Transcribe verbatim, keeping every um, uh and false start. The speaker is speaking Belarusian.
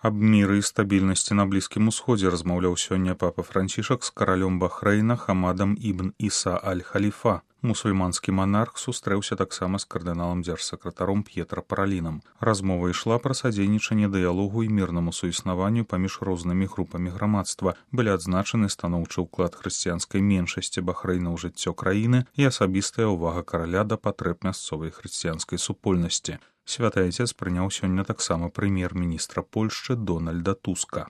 Аб міры і стабільнасці на Блізкім Усходзе размаўляў сёння папа Францішак з каралём Бахрэйна Хамадам ібн Іса аль-Халіфа. Мусульманскі манарх сустрэўся таксама з кардыналам дзяржсакратаром П'етра Паралінам. Размова ішла пра садзейнічанне дыялогу і мірнаму суіснаванню паміж рознымі групамі грамадства. Былі адзначаны станоўчы ўклад хрысціянскай меншасці Бахрэйна ў жыццё краіны і асабістая ўвага караля да патрэб мясцовай хрысціянскай супольнасці. Святы Айцец прыняў сёння таксама прэм'ер-міністра Польшчы Дональда Туска.